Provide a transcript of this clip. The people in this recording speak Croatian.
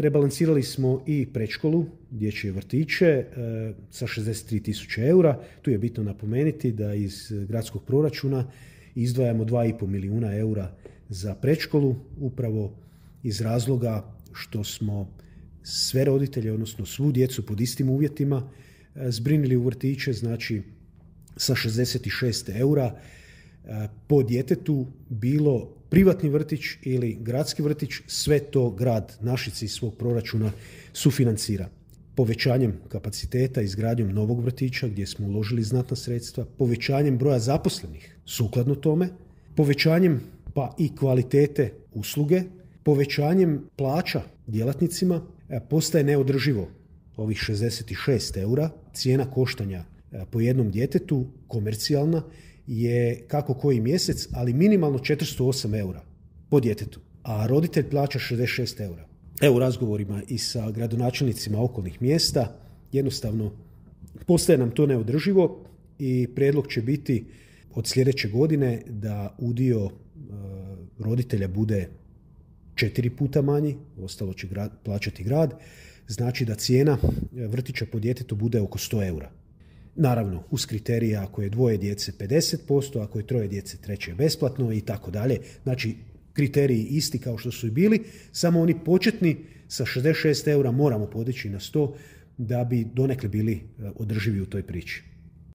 rebalansirali smo i predškolu, dječje vrtiće sa 63.000 eura. Tu je bitno napomenuti da iz gradskog proračuna izdvajamo 2,5 milijuna eura za predškolu, upravo iz razloga što smo sve roditelje, odnosno svu djecu pod istim uvjetima zbrinili u vrtiće, znači sa 66 eura po djetetu, bilo privatni vrtić ili gradski vrtić, sve to grad Našice iz svog proračuna sufinancira. Povećanjem kapaciteta, izgradnjom novog vrtića gdje smo uložili znatna sredstva, povećanjem broja zaposlenih sukladno tome, povećanjem pa i kvalitete usluge, povećanjem plaća djelatnicima postaje neodrživo ovih 66 eura. Cijena koštanja po jednom djetetu komercijalna je kako koji mjesec, ali minimalno 408 eura po djetetu, a roditelj plaća 66 eura. Evo, u razgovorima i sa gradonačelnicima okolnih mjesta jednostavno postaje nam to neodrživo i prijedlog će biti od sljedeće godine da udio roditelja bude 4 puta manji, ostalo će plaćati grad, znači da cijena vrtića po djetetu bude oko 100 eura. Naravno, uz kriterije ako je 2 djece 50%, ako je 3 djece treće je besplatno i tako dalje. Znači, kriteriji isti kao što su i bili, samo oni početni sa 66 eura moramo podići na 100 da bi donekle bili održivi u toj priči.